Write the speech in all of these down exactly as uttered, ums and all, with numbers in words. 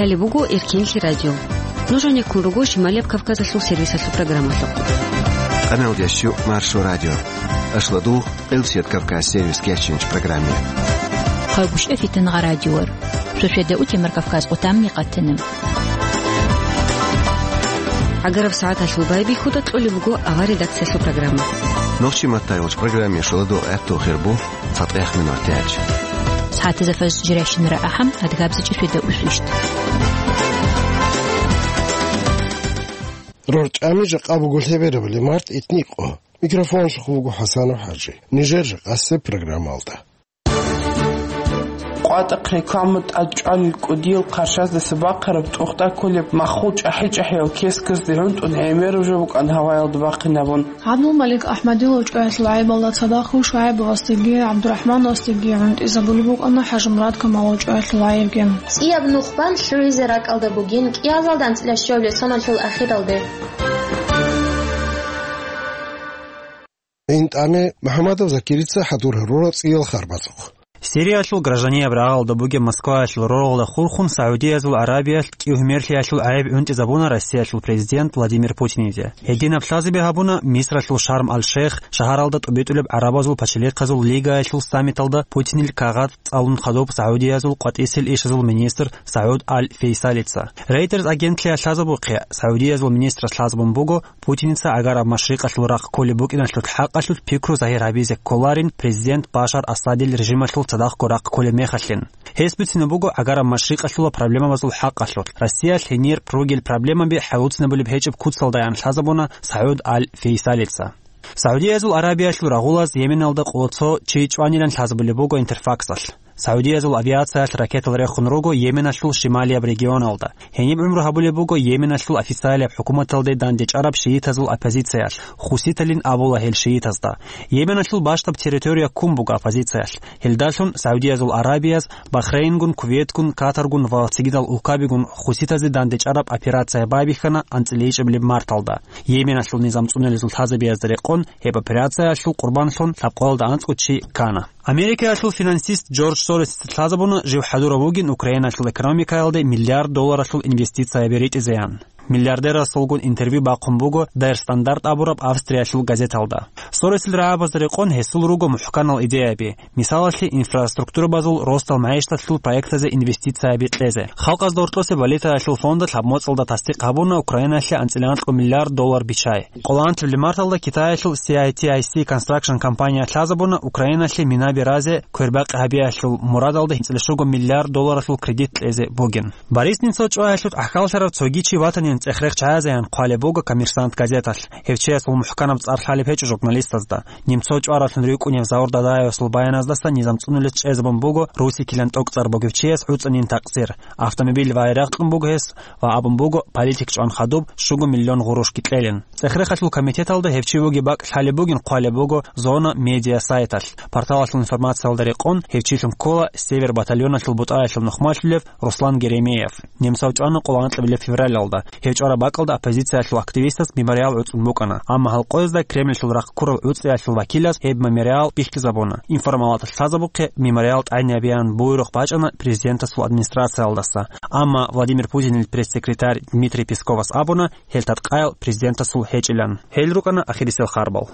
Гьале буго Эркенлъи радио. Нуж гьанеккун руго Шималияб Кавказалъул сервисалъул программалъухъ. Къамел ящу Маршо радио. Ашладу Къилсият Кавказ сервис кечинч программе. Хъагуш эфитан гъа радиор. Шошведа утемар Кавказ къутамни къатанам. Агараб сагӀаталъул байбихьуда кьолеб буго авар редакциялъул программа. Нохчи маттайолч программе шуладу гӀерту хирбу. Фатех минутач. СагӀатазда фаз жиращинара ахӀам, адгабза чӀишвида усвищт. РорчӀами жакъа буго лъеберабали март итникъо. Микрофон шуху буго ХӀасанов ХӀажи. Нижер жакъасе программалда. КъватӀахъ рекламу тӀад чӀванил кӀудиял хъаршаздаса бахъараб тӀухьда кколеб маххул чӀахӀи-чӀахӀиял кесказде гӀунтӀун гӀемераб жо букӀан гьаваялда бахъинабун. ГӀабдулмалик АхӀмадил вачӀаялъул гӀайибалда цадахъ ШугӀайбовасдаги ГӀабдурахӀмановасдаги гӀунтӀизабулеб букӀана ХӀажимурад Камалил вачӀаялъул гӀайибги. ЦӀияб нухбан лъугӀизе ракӀалда бугин кӀиазалда анцӀила щолеб соналъул ахиралде. ИнтӀаме МухӀамадов Закирица хӀадур гьарурал цӀиял харбацухъ. Сириялъул гражданияб рагъалда бугеб Москваялъул роргъалда хурхун СагӀудиязул Арабиялъ кӀиго мерлъиялъул гӀайиб гӀунтӀизабуна Россиялъул президент Владимир Путиниде. Гьединаб лъазаби гьабуна Мисралъул Шарм-аль-Шейх шагьаралда тӀубитӀулеб гӀарабазул пачалихъазул лигаялъул саммиталда Путинил кагъат цӀалун хадуб СагӀудиязул къватӀисел ишазул министр СагӀуд Аль-Фейсалица. Reuters агентлъиялъ лъазабухъе, СагӀудиязул министрас лъазабун буго, Путиница Агараб Машрикъалъул рахъ кколеб букӀиналъул хӀакъалъулъ пикру загьир гьабизе кколарин президент Башар Асадил режималъул цадахъго рахъ кколеб мехалъин. Гьес бицина буго Агараб Машрикъалъула проблемабазул хӀакъалъулъ. Россиялъ гьенир ругел проблемаби хӀалуцинабулеб гьечӀеб куцалдаян лъазабуна СагӀуд Аль-Фейсалица. СагӀудиязул Арабиялъул рагъулаз Йеменалда къоло цо чи чӀванилан лъазабулеб буго Интерфаксалъ. СагӀудиязул авиациялъ ракетал рехун руго Йеменалъул шималияб регионалда. Гьениб гӀумру гьабулеб буго Йеменалъул официалияб хӀукуматалде дандечӀараб шиитазул оппозициялъ, хуситалин абула гьел шиитазда. Йеменалъул бащдаб территория ккун буго оппозициялъ. Гьелдалъун СагӀудиязул Арабияз Бахрейнгун, Кувейтгун, Катаргун ва цогидал улкабигун хуситазе дандечӀараб операция байбихьана анцӀила ичӀабилеб марталда. Йеменалъул низам цӀунулезул лъазабиязда рекъон гьеб операциялъул къурбанлъун лъабкъоялда анцӀго чи ккана. Америкаялъул финансист Джордж Соросица лъазабуна жив хӀадурав вугин Украиналъул экономикаялде миллиард долларалъул инвестицияби ритӀизеян. Миллиардерасулгун интервью бахъун буго Der Standard абураб Австриялъул газеталда. Соросил рагӀабазда рекъон гьесул руго мухӀканал идеяби, мисалалъе, инфраструктурабазул ростал магӀишталъул проектазе инвестицияби кьезе. Халкъазда гьоркьосе валютаялъул фонда лъабмоцӀалда тасдикъ гьабуна Украиналъе анцӀила анкьго миллиард доллар биччай. Къоло анлъабилеб марталда Китаялъул си ай ти ай си Construction компания лъазабуна Украиналъе минаби разе квербакъи гьабиялъул мурадалда анцӀила щуго миллиард долларалъул кредит кьезе бугин. Борис Немцов чӀваялъул гӀахьаллъарав цоги чи ватанин цӀех-рех чӀезаян хъвалеб буго «Коммерсант» газеталъ. Гьев чиясул мухӀканаб цӀар лъалеб гьечӀо журналистазда. Немцов чӀваразлъун рикӀкӀунев Заур Дадаевасул баяназдаса низам цӀунулес чӀезабун буго русикилан тӀокӀцӀар бугев чияс гӀуцӀанин такъсир. Автомобиль вагӀи рагъ кьун буго гьес ва абун буго, политик чӀван хадуб щуго миллион гъурушги кьелин. ЦӀех-рехалъул комитеталда гьев чи вугеб бакӀ лъалеб бугин хъвалеб буго «Зона Медиа» сайталъ. Порталалъул информациялда рекъон гьев чилъун ккола «Север» батальоналъул бутӀаялъул нухмалъулев Руслан Геремеев. Немцов чӀвана къоло анкьабилеб февралалда. Гьев чӀвараб бакӀалда оппозициялъул активистас мемориал гӀуцӀун букӀана, амма гьалкъоязда Кремльалъул рахъ ккурал гӀуцӀиялъул вакилас гьеб мемориал бихьизабуна. Информалалда лъазабухъе, мемориал тӀайнабеян буйрухъ бачӀана президентасул администрациялдаса, амма Владимир Путинил пресс-секретарь Дмитрий Песковас абуна, гьел таткъаял президентасул гьечӀилан. Гьел рукӀана ахирисел харбал.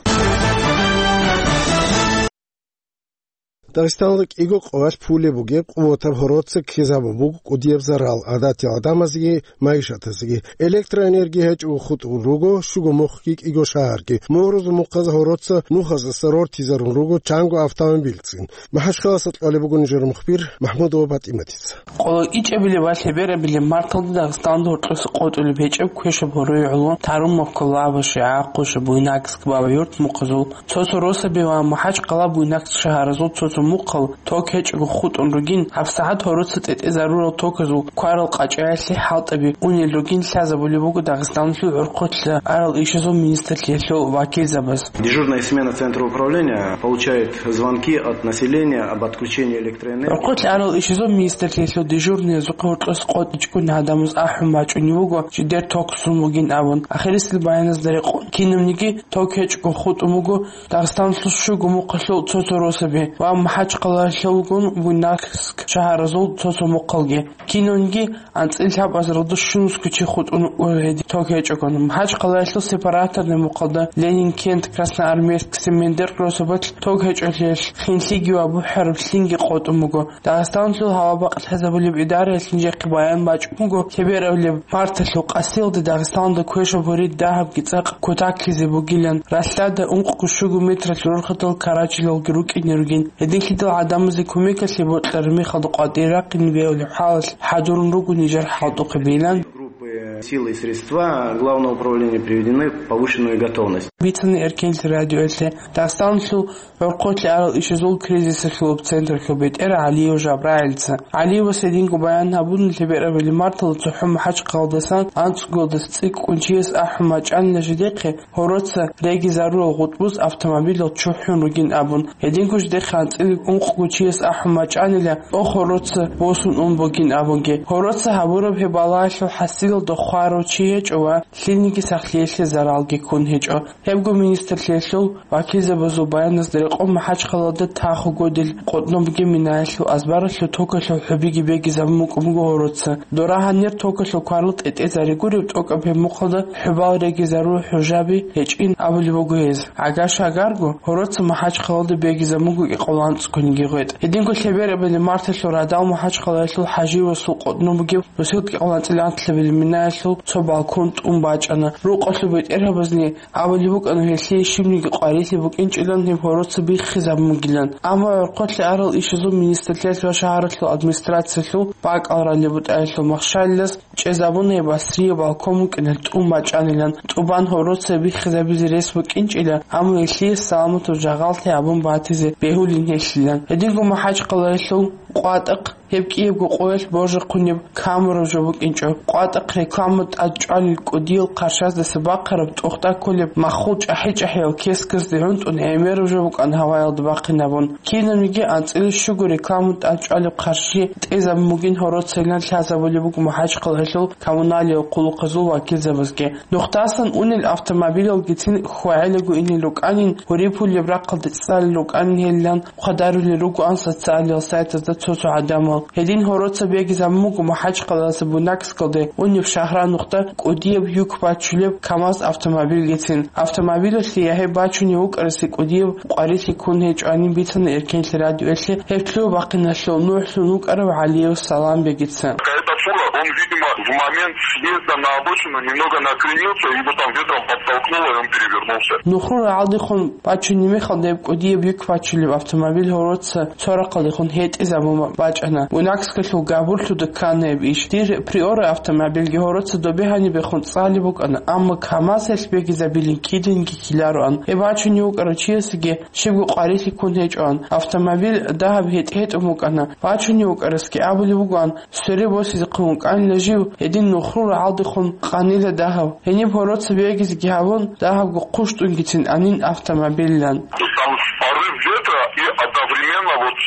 Дагъистаналда кӀиго къоялъ пулеб бугеб къуватаб гьороца ккезабун буго кӀудияб зарал. ГӀадатиял гӀадамазеги майишатазеги электроэнергия гьечӀого хутӀун руго щуго мухъги кӀиго шагьарги. Мугьрузул мухъаз гьороца нухаздаса рортизарун руго чанго автомобильцин. МахӀачхъаласа кьолеб буго нижер мухбир МахӀмудова ПатӀиматица. Къоло ичӀабилеб ва лъеберабилеб марталда Дагъистаналда гьоркьоса къотӀулеб гьечӀеб квешаб гьорой гӀоло тарун мухъал, лаба, ШигӀа, Ахъуша, Буйнакск, Бабаюрт мухъазул цо-цо росаби ва МахӀачхъала, Буйнакск шагьаразул цо-цо мухъал ток гьечӀого хутӀун ругин, гьабсагӀат гьороца тӀетӀе зарура токазул кварал къачӀаялъе хӀалтӀаби унел ругин лъазабулеб буго Дагъистаналъул гӀурхъулъа арал ишазул министрлъиялъул вакилзабаз. Дежурная смена центра управления получает звонки от населения об отключении электроэнергии. ГӀурхъулъа арал ишазул министрлъиялъул дежурныязухъе гьоркьоса къотӀичӀого гӀадамаз ахӀун бачӀунеб буго, жидер ток сун бугин абун. Ахирисел баяназда рекъон, кинабниги ток гьечӀого хутӀун буго Дагъистаналъул щуго мухъалъул цо-цо росаби ва МахӀачхъалаялъулгун Буйнакск шагьаразул цо-цо мухъалги. Кинониги анцӀила лъабазаралда щунусго чи хутӀун гьедин ток гьечӀогун. МахӀачхъалаялъул сепараторный мухъалда Ленинкент, Красноармейск, Симендер росабалъ ток гьечӀолъиялъ хинлъиги ва бухӀараб лъинги къотӀун буго. Дагъистаналъул гьава бакълъазабулеб идараялъ нижехъе баян бачӀун буго, лъеберабилеб марталъул къасиялде Дагъистаналда квешаб гьорид дагьабги цӀакъ кутаклъизе бугилан, ралъдада ункъго щуго метралъ рорхатал карачилалги рукӀине ругин. Гьединлъидал гӀадамазе кумекалъе бокьараб мехалда къватӀире рахъине бегьулеб хӀалалъ хӀадурун руго нижер хӀалтӀухъе бейилан. Группы, силы и средства Главного управления приведены в повышенную готовность. Бицана Эркенлъи радиоялъе Дагъистаналъул гӀорхъолъи арал ишазул кризисалъулаб централъул бетӀер ГӀалиев Жабрагьилица. ГӀалиевас гьединго баян гьабуна лъеберабилеб марталда цохӀо МахӀачхъалдасан анцӀгоялдаса цӀикӀкӀун чияс ахӀун бачӀанила жидехъе, гьороца регизарурал гъутӀбуз автомобилал чухӀун ругин абун. Гьединго жидехъе анцӀила ункъго чияс ахӀун бачӀанила, тӀох гьороца босун ун бугин абунги. Гьороца гьабураб гьеб балагьалъул хӀасилалда хварав чи гьечӀо ва лъилниги сахлъиялъе заралги ккун гьечӀо. Гьебго министрлъиялъул вакилзабазул баяназда рекъон МахӀачхъалаялда тахугодил къотӀнобги минаялъул азбаралъул токалъул хӀубиги бегизабун букӀун буго гьороца. Дора гьанир токалъул кварал тӀетӀезари гуреб тӀокӀаб гьеб мухъалда хӀубал регизарул хӀужаби гьечӀин абулеб буго гьез. ГӀагар-шагарго гьороца МахӀачхъалаялда бегизабун буго кӀикъоялда анцӀгониги гъветӀ. Гьединго лъеберабилеб марталъул радал МахӀачхъалаялъул ХӀаживасул къотӀнобги бусел кӀикъоялда анцӀила анлъабилеб минаялъул цо балкон тӀун бачӀана. Рукъалъул бетӀергьабазни абулеб букӀана гьелъие щибниги къварилъи букӀинчӀилан гьеб гьороца биххизабун бугилан. Амма гӀорхъолъи арал ишазул министрлъиялъ ва шагьаралъул администрациялъул бакӀал ралеб бутӀаялъул махщалилас чӀезабуна гьеб асрие балкон букӀиналъ тӀун бачӀанилан, тӀубан гьороца биххизабизе рес букӀинчӀила, амма гьелъие саламатаб жагъаллъи абун батизе бегьулин гьелъилан. Гьединго МахӀачхъалаялъул къватӀахъ Гьеб кӀиябго къоялъ божухъунеб камераб жо букӀинчӀо. КъватӀахъ реклама тӀад чӀвалел кӀудиял хъарщаздаса бахъараб тӀохда кколеб маххул чӀахӀи-чӀахӀиял кескасде гӀунтӀун гӀемераб жо букӀана гьаваялда бахъинабун. Кинабниги анцӀила щуго реклама тӀад чӀвалеб хъарщи тӀезабун бугин гьороцайилан лъазабулеб буго МахӀачхъалаялъул коммуналиял хъулухъазул вакилзабазги. Нухдасан унел автомобилалгицин хьвагӀелаго инел рукӀанин, гьуриб пулеб рахъалде цӀалел рукӀанин гьелилан хъвадарулел ругоан социалиял сайтазда цо-цо гӀадамал. Гьедин гьороца бегизабун буго МахӀачхъалаялъа Буйнакскалде унеб Шагьран нухда кӀудияб юк бачулеб КамАЗ автомобилгицин. Автомобилалъе я гьеб бачунев вукӀарасе кӀудияб къварилъи ккун гьечӀоанин бицана Эркенлъи радиоялъе гьеб лъугьа-бахъиналъул нухӀлъун вукӀарав ГӀалиев Саламбегица. Какая-то фура, он, видимо, в момент съезда на обочину немного накренился, его там ветром подтолкнуло, и он перевернулся. Нухру рагӀалдехун бачунеб мехалда гьеб кӀудияб юк бачулеб автомобиль гьороца цо рахъалдехун гьетӀизабун бачӀана. Буйнакскалъул габурлъуда ккана гьеб иш. Дир Приора автомобильги гьороца добе гьанибехун цӀалеб букӀана, амма КамАЗ гьелъ бегизабилин киданги ккелароан. Гьеб бачунев вукӀарав чиясеги щибго къварилъи ккун гьечӀоан. Автомобиль дагьаб гьетӀ-гьетӀун букӀана. Бачунев вукӀарасги абулеб бугоан, свере босизехъин вукӀанила жив, гьедин нухру рагӀалдехун къанила дагьав. Гьениб гьороца бегизеги гьабун, дагьабго хъущтӀунгицин анин автомобилилан. То есть там порыв ветра и одновременно вот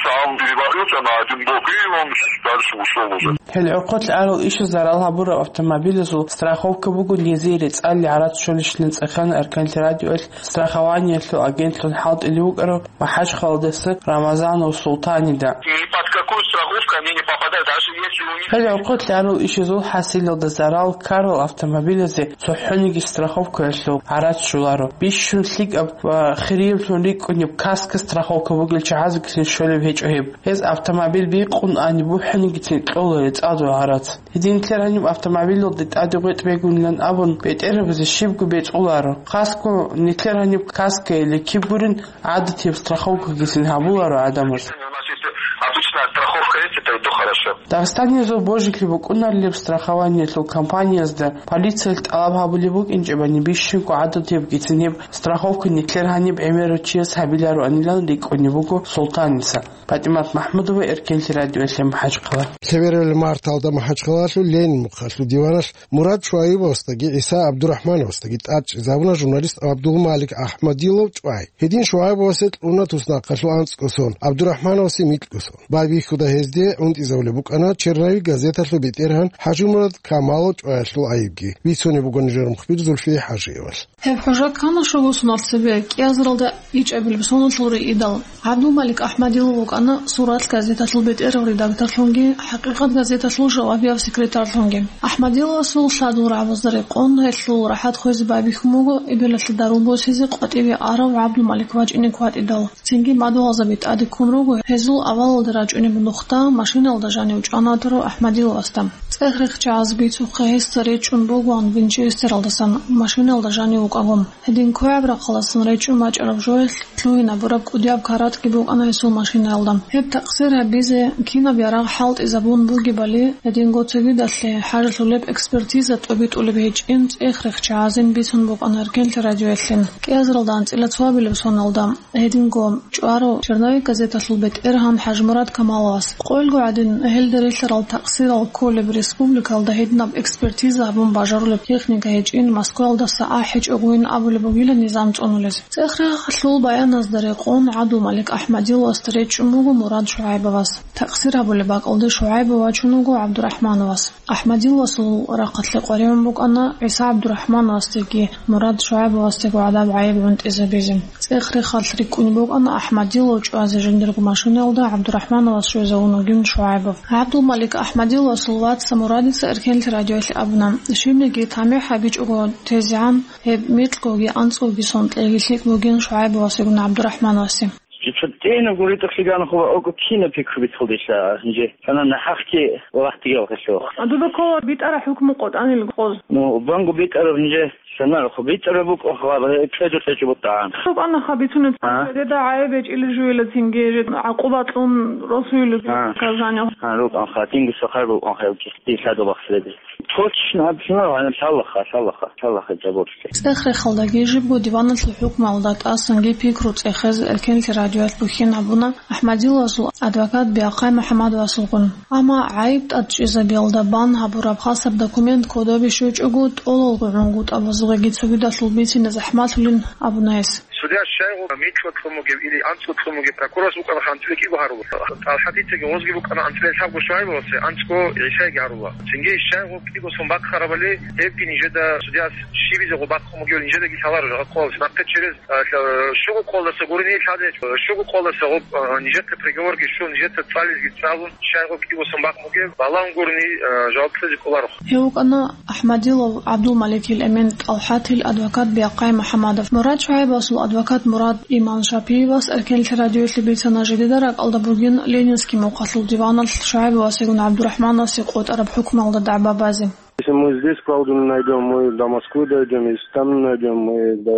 сам перевалился на один бок, и он дальше ушел уже. Гьел гӀорхъолъ арал ишаз зарал гьабураб автомобилазул страховка буго низие рецӀалли гӀарац щолищилан цӀехана Эркенлъи радиоялъ страхованиялъул агентлъун хӀалтӀулев вукӀарав МахӀачхъалаялдаса Рамазанов Султанида. Ни под какую страховку они не попадают, даже если у них... Гьел гӀорхъолъ арал ишазул хӀасилалда зарал ккарал автомобилазе цохӀониги страховкаялъул гӀарац щоларо. Бищун лъикӀаб ва хирияблъун рикӀкӀунеб каска страховка бугел чагӀазегицин щолеб гьечӀо гьеб. Гьез автомобиль бикъун ани бухӀанигицин кьола рецӀадул гӀарац. Гьедин нилъер гьаниб автомобилалде тӀаде гъветӀ бегунилан абун, бетӀергьабазе щибго бецӀуларо. Хасго нилъер гьаниб каска или киб гурин гӀадатияб страховкагицин гьабуларо гӀадамаз. У нас есть обычная страховка, есть, это и то хорошо. Дагъистаниязул божилъи букӀунарилеб страхованиялъул компаниязда полициялъ тӀалаб гьабулеб букӀинчӀебани бищунго гӀадатиябгицин гьеб страховка нилъер гьаниб гӀемерав чияс гьабилароанилан рикӀкӀунеб буго Султаница. ПатӀимат МахӀмудова, Эркенлъи радиоялъе МахӀачхъала. Лъеберабилеб марталда МахӀачхъалалъул Ленин мухъалъул диваналъ Мурад Шуаибовасдаги ГӀиса ГӀабдурахӀмановасдаги тӀадчӀезабуна журналист ГӀабдулмалик АхӀмадилов ЧӀвай. Гьедин Шуаибовасе кьуна туснахъалъул анцӀго сон, ГӀабдурахӀмановасе микьго сон. Байбихьуда гьезде унтӀизабулеб букӀана Черрави газеталъул бетӀергьан ХӀажимурад Камалов ЧӀваялъул гӀайибги. Бицунеб буго нижер мухбир Зульфие ХӀажиевалъ. Гьеб хӀужа ккана щуго соналъ цебе, кӀиазаралда ичӀабилеб соналъул рейидал. ГӀабдулмалик Ахмадилов вукӀана «Сурат» газеталъул бетӀерав редакторлъунги «ХӀакъикъат» газеталъул жавабияв секретарьлъунги. Ахмадиловасул лъадул рагӀабазда рекъон гьелъул рахӀат хвезе байбихьун буго эбелалъе дару босизе къватӀиве арав ГӀабдулмалик вачӀине кватӀидал. Цинги мадугьалзаби тӀаде ккун руго гьезул авалалда рачӀунеб нухда машиналда жанив чӀванатарав Ахмадиловасда. ЦӀех-рехчагӀаз бицухъе гьесда речӀчӀун бугоан Винчестералдасан машиналда жанив вукӀаго. Гьедин квегӀаб рахъалдасан речӀчӀун бачӀараб жоялъ лъугьинабураб кӀудияб каратӀги букӀана гьесул машинаялда. Гьеб такъсир гьабизе кинаб ярагъ хӀалтӀизабун бугебали, гьединго цогидалъе хӀажалъулеб экспертиза тӀобитӀулеб гьечӀин цӀех-рехчагӀазин бицун букӀана Эркенлъи радиоялъе. КӀиазаралда анцӀила цоабилеб соналда. Гьединго чӀварав «Черновик» газеталъул бетӀергьан ХӀажимурад Камаловас. Къойилго гӀадин, гьелда релълъарал такъсирал кколеб республикалда гьединаб экспертиза гьабун бажарулеб техника гьечӀин, Москваялдаса ахӀичӀогойин абулеб бугила низам цӀунулез. ЦӀех-рехалъул баяназда рекъон ГӀабдулмалик Ахмадиловасда речӀчӀун буго Мурад ШугӀайбовас. Такъсир гьабулеб бакӀалде ШугӀайбов вачун вуго ГӀабдурахӀмановас. Ахмадиловасул рахъалъе къваригӀун букӀана ГӀиса ГӀабдурахӀмановасдеги Мурад ШугӀайбовасдего гӀадаб гӀайиб гӀунтӀизабизе. ЦӀех-рехалъ рикӀкӀунеб букӀана Ахмадилов чӀвазе жиндирго машинаялда ГӀабдурахӀмановас щвезавун вугин ШугӀайбов. ГӀабдулмалик Ахмадиловасул вац Мурадица Эркенлъи радиоялъе абуна, щибниги тамихӀ гьабичӀого тезегӀан гьеб микьгоги анцӀгоги сон кьеги лъикӀ бугин ШугӀайбовасегун ГӀабдурахӀмановасе. Жица тӀинабго ритӀухълъи ганахъула, окӀо кинаб пикру бицалдилъа гьанже, цана нахӀахъги вахтигал гьелъухъ. А дуда ккола битӀараб хӀукму къотӀанил къоз? Ну, банго битӀараб гьанже, санарахъу битӀараб букӀухъ, ва кьеду кьечӀо бутӀагӀан. Сукъанаха бицунеб, а? Деда гӀайиб гьечӀили жуила цинги, же гӀакъуба кьун росуила, а, наказание. А, рукъанха, тинги сахар рукъанха, дилъадо бахсреди. Точно абсинал гьаниб лъалаха, лъалаха, лъалаха жабурлъи. ЦӀех-рехалдаги жибго диваналъул хӀукмалда тӀасанги пикру цӀехез Эркенлъи радиоялъ бухьин гьабуна Ахмадиловасул адвокат Биахъай МухӀаммадовасулгун. Амма гӀайиб тӀадчӀезабиялда бан гьабураб хасаб документ кодобе щвечӀого, тӀолалго гӀунгутӀабазухъеги цогидалъул бицине захӀмалъулин абуна гьес. Судья щайгъу микьго кьун бугев или анцӀго кьун бугев прокурорас вукӀана анцӀила кӀиго гьарула. ТӀалхӀадицаги гъозги букӀана анцӀила лъабго ШугӀайбовасе, анцӀго ГӀисайги гьарула. Цинги щайгъу кӀиго сон бахъарабали, гьебги нижеда судьяс щибизего бахъун бугев нижедаги лъаларо жагъа къоялъ. Нахъе через, а, лъа-, щуго къоялдаса гурони лъазе, щуго къоялдаса гъоб, а, нижехъе приговорги щун, нижеца цӀализги цӀалун, щайгъу кӀиго сон бахъун бугев балагьун гурони, а, жаваб кьезе кӀоларо. Гьев вукӀана Ахмадилов ГӀабдулмаликил эмен ТӀалхӀатил адвокат Биахъай МухӀаммадов. Мурад ШугӀайбовасул адвокат Мурад Иманшапиевас Эркенлъи радиоялъе бицана жидеда ракӀалда бугин Ленинский мухъалъул диваналъ ШугӀайбовасегун ГӀабдурахӀмановасе къотӀараб хӀукмалда дагӀба базе. Если мы здесь правду не найдем, мы до Москвы дойдем, если там не найдем, мы до...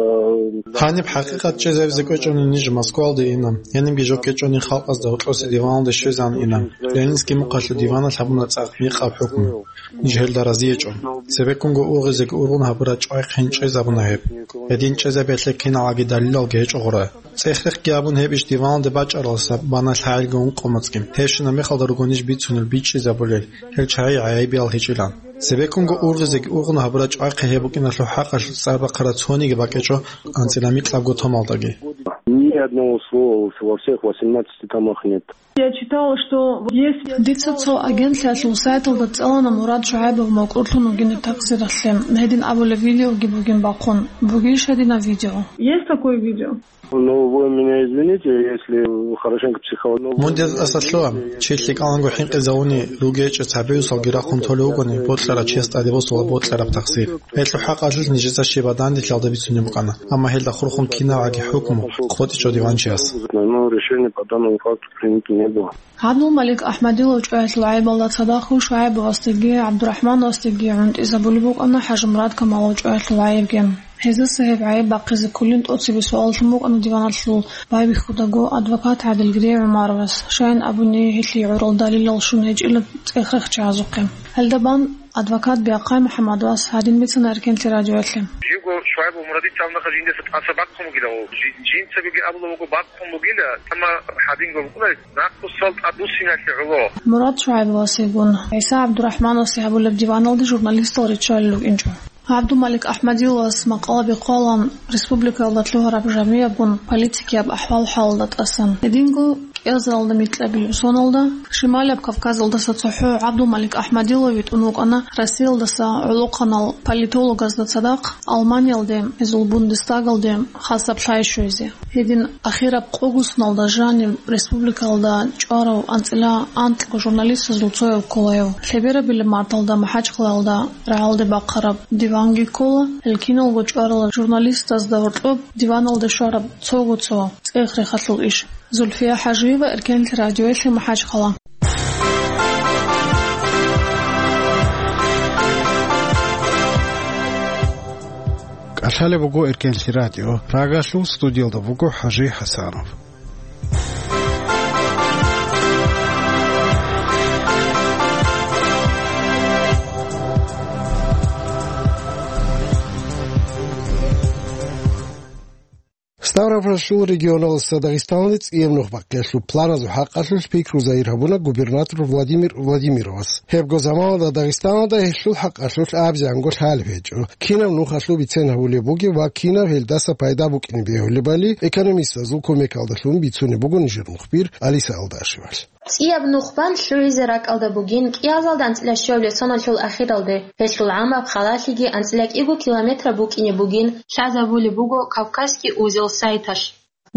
Гьаниб хӀакъикъат чӀезабизе кӀвечӀони ниж Москвалде ина, гьанибги жо ккечӀони халкъазда гьоркьосе диваналде щвезан ина. Ленинский мухъалъул диваналъ гьабуна цӀакъ микъаб хӀукму. Ниж гьелда разиечӀо. Цебеккунго ургъизеги ургъун гьабураб чӀвай хъин чӀезабуна гьеб. Гьедин чӀезабиялъе киналги далилалги гьечӀо гъура. ЦӀех-рехги гьабун гьеб иш диваналде бачӀаралдаса бана лъагӀелги ункъо моцӀги. Гьебщинаб мехалда руго ниж бицунел бичӀчӀизабулел, гьел чагӀи гӀайибиял гьечӀилан. Цебеккунго ургъизеги ургъун гьабураб чӀвай хъи гьеб букӀиналъул хӀакъалъулъ цӀар бахъараб цониги бакӀичӀо анцӀила микьабго томалдаги. Ни одного слова во всех восемнадцати томах нет. Я читала, что есть... Дица цо агентлъиялъул сайталда цӀалана Мурад ШугӀайбов мокӀурлъун вугинаб такъсиралъе. Гьедин абулеб видеоги бугин бахъун. Бугищ гьединаб видео? Есть такое видео? Ну, вы меня извините, если хорошенько психология. Мун деза тӀаса лъугьа, чи лъикӀаланго хӀинкъизавуни ругечӀо, цабиусалги рахъун толев вугони, бокьарав чияс тӀаде босула бокьараб такъсир. Гьелъул хӀакъалъулъ нижеца щибаб данделъиялда бицунеб букӀана, амма гьелда хурхун кинабгӀаги хӀукму къотӀичӀо диванчияс. Ну, решение по данному факту принято не было. ГӀабдулмалик Ахмадилов чӀваялъул гӀайибалда цадахъ ШугӀайбовасдеги ГӀабдурахӀмановасдеги гӀунтӀизабулеб букӀана ХӀажимурад Камалов чӀваялъул гӀайибги. Гьезаса гьеб гӀайиб бахъизе кколин тӀоцебе суаллъун букӀана диваналъул байбихьудаго адвокат ГӀадилгири ГӀумаровас. Щайин абуни, гьелъие гӀурал далилал щун гьечӀила цӀех-рехчагӀазухъе. Гьелда бан адвокат Биахъай МухӀаммадовас гьадин бицана Эркенлъи радиоялъе. Жиго ШугӀайбов Мурадица абунаха жиндаса тӀаса бахъун бугила гъов. Жи-, жинцабиги абула вуго бахъун бугила, амма гьадинго букӀунаре, нахъусал тӀадвуссиналъе гӀоло. Мурад ШугӀайбовасегун ГӀиса ГӀабдурахӀмановасе гьабулеб диваналде журналистал риччалел рукӀинчӀо. ГӀабдулмалик Ахмадиловас макъала бихъалан республикаялда лъугьараб жамигӀабгун политикияб ахӀвал-хӀалалда тӀасан. Гьединго КӀиазалда микьабилеб соналда, Шималаб Кавказалдаса цохӀо ГӀабдулмалик АхӀмадилов витӀун вукӀана Россиялдаса гӀолохъанал политологазда цадахъ Алманиялде гьезул Бундестагалде хасаб лъай щвезе. Гьедин ахираб къогусналда жаниб республикалда чӀварав анцӀила анкьго журналистазул цояв кколаяв. Лъеберабилеб марталда МахӀачхъалаялда рагӀалде бахъараб диванги ккола. Гьел киналго чӀварал журналистазда гьоркьоб диваналде щвараб цого-цо цӀех-рехалъул иш. Зульфия ХӀажиева, Эркенлъи радиоялъе, МахӀачхъала. КӀалъалеб буго Эркенлъи радио. Прагалъул студиялда буго ХӀажи ХӀасанов. Ставропольалъул регионалдаса Дагъистаналде цӀияб нух бахъиялъул планазул хӀакъалъулъ пикру загьир гьабуна губернатор Владимир Владимировас. Гьебго заманалда Дагъистаналда гьелъул хӀакъалъулъ абизанго лъалеб гьечӀо, кинаб нухалъул бицен гьабулеб бугеб ва кинаб гьелдаса пайда букӀине бегьулебали экономистазул кумекалдалъун бицунеб буго нижер мухбир Алиса Алдашевалъ. ЦӀияб нух бан лъугӀизе ракӀалда бугин кӀиазалда анцӀила щуабилеб соналъул ахиралде. Гьелъул гӀамаб халалъиги анцӀила кӀиго километр букӀине бугин, лъазабулеб буго Кавказский узел сайталъ.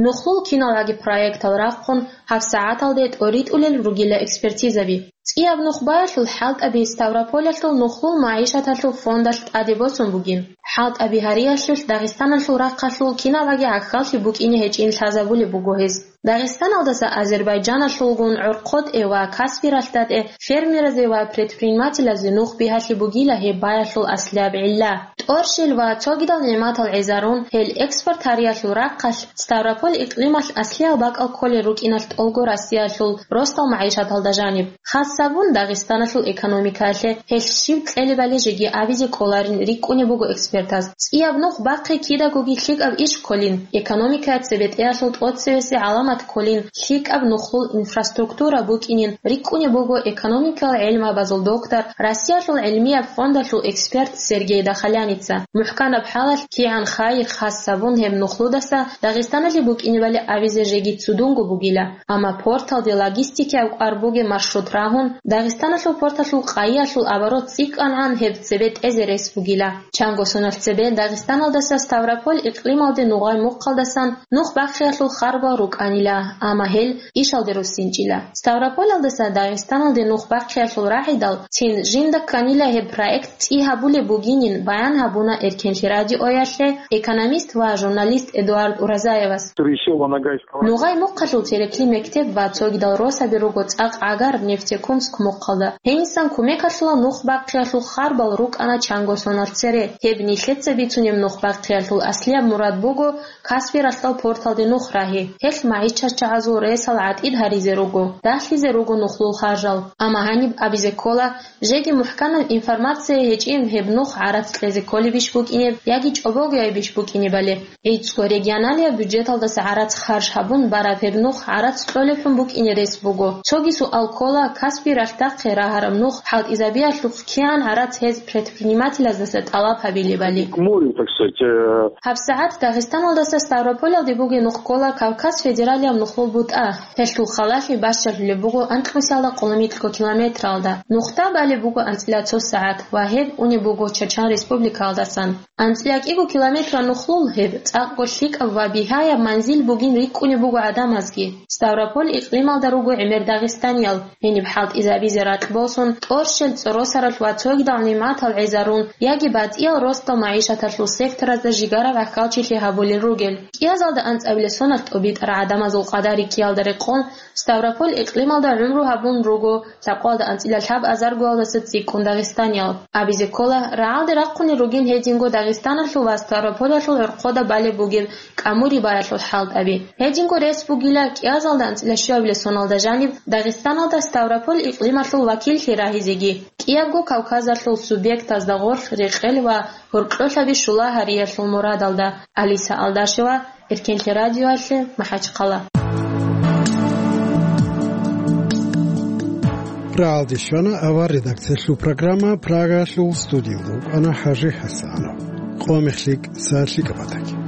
Нухлул киналгӀаги проектал рахъун гьабсагӀаталде тӀоритӀулел ругила экспертизаби. ЦӀияб нух баялъул хӀалтӀаби Ставрополалъул нухлул магӀишаталъул фондалъ тӀаде босун бугин. ХӀалтӀаби гьариялъулъ Дагъистаналъул рахъалъул киналгӀаги гӀахьаллъи букӀине гьечӀин лъазабулеб буго гьез. Дагъистаналдаса Азербайджаналъулгун ГӀорхъотӀе ва Каспи ралъдатӀе фермеразе ва предпринимателазе нух бигьалъи бугила гьеб баялъул аслияб гӀилла. ТӀорщел ва цогидал нигӀматал гӀезарун, гьел экспорт гьариялъул рахъалъ Ставрополь икълималъ аслиял бакӀал кколел рукӀиналъ тӀолго Россиялъул росдал магӀишаталда жаниб. Хас гьабун Дагъистаналъул экономикаялъе гьелъ щиб кьелебали жеги абизе кӀоларин рикӀкӀунеб буго экспертаз. ЦӀияб нух бахъи кидагоги лъикӀаб иш кколин, экономикая цебетӀеялъул тӀоцевесеб гӀаламат кколин, лъикӀаб нухлул инфраструктура букӀинин рикӀкӀунеб буго экономикал гӀелмабазул доктор, Россиялъул гӀилмияб фондалъул эксперт Сергей Дахаляница. МухӀканаб хӀалалъ кигӀан хайир хас гьабун гьеб нухлудаса Дагъистаналъе букӀинебали абизе жеги цудунго бугила. Амма порталде логистикаяб кӀвар бугеб маршрут рагьун, Дагъистаналъул порталъул къайиялъул оборот цӀикӀкӀангӀан гьеб цебе тӀезе рес бугила. Чанго соналъ цебе Дагъистаналдаса Ставрополь икълималде нугъай мухъалдасан нух бахъиялъул харбал рукӀанила, амма гьел ишалде руссинчӀила. Ставрополалдаса Дагъистаналде нух бахъиялъул рагӀидал цин жинда кканила гьеб проект цӀи гьабулеб бугинин баян гьабуна Эркенлъи радиоялъе экономист ва журналист Эдуард Уразаевас. Нугъай мухъалъул терекли мектеб ва цогидал росаби руго цӀакъ гӀагар Нефтекумск мухъалда. Гьенисан кумекалъула нух бахъиялъул харбал рукӀана чанго соналъ цере. Гьеб нилъеца бицунеб нух бахъиялъул аслияб мурад буго Каспи ралъдал порталде нух рагьи. Гьелъ магӀишатчагӀазул ресал гӀатӀид гьаризе руго, дагьлъизе руго нухлул харжал. Амма гьаниб абизе ккола, жеги мухӀканаб информация гьечӀин гьеб нух гӀарац кьезе кколебищ букӀинеб яги чӀобогоябищ букӀинебали. ГӀицӀго регионалияб бюджеталдаса гӀарац харж гьабун бараб гьеб нух гӀарац кьолеб хӀун букӀине рес буго. Цоги суал ккола, Каспи ралъдахъе рагьараб нух хӀалтӀизабиялъухъ кигӀан гӀарац гьез предпринимателаздаса тӀалаб гьабилебали. К морю, так сказать, э. ГьабсагӀат Дагъистаналдаса Ставрополалде бугеб нух ккола Кавказ федералияб нухлул бутӀа. Гьелъул халалъи бащалъулеб буго анкьнусиялда къоло микьго километралда. Нухда балеб буго анцӀила цо сагӀат ва гьеб унеб буго Чачан республикаялдасан. АнцӀила кӀиго километр нухлул гьеб цӀакъго лъикӀаб ва бигьаяб манзил бугин рикӀкӀунеб буго гӀадамазги. Ставрополь икълималда руго гӀемер дагъистаниял. Гьениб хӀалтӀизабизе ракь босун, тӀорщел цӀоросарал ва цогидал нигӀматал гӀезарун, яги батӀиял росдал магӀишаталъул секторазда жигараб гӀахьалчилъи гьабулел ругел. КӀиазалда анцӀабилеб соналъ тӀобитӀараб гӀадамазул къадар рикӀкӀиялда рекъон, Ставрополь икълималда гӀумру гьабун руго лъабкъоялда анцӀила лъабазаргоялдаса цӀикӀкӀун дагъистаниял. Абизе ккола, рагӀалде рахъунел ругин гьединго Дагъистаналъул ва Ставрополалъул гӀорхъода балеб бугеб кӀамурибаялъул хӀалтӀаби. Гьединго рес бугила кӀиазалда анцӀила щуабилеб соналда жаниб Дагъистаналда Ставрополь икълималъул вакиллъи рагьизеги, кӀиябго Кавказалъул субъектазда гъорлъ рекъел ва гьоркьолъаби щула гьариялъул мурадалда. Алиса Алдашева, Эркенлъи радиоялъе, МахӀачхъала. РагӀалде щвана авар редакциялъул программа, Прагаялъул студиялда вукӀана ХӀажи ХӀасанов. Къо мех лъикӀ, сагӀат лъикӀаб батаги.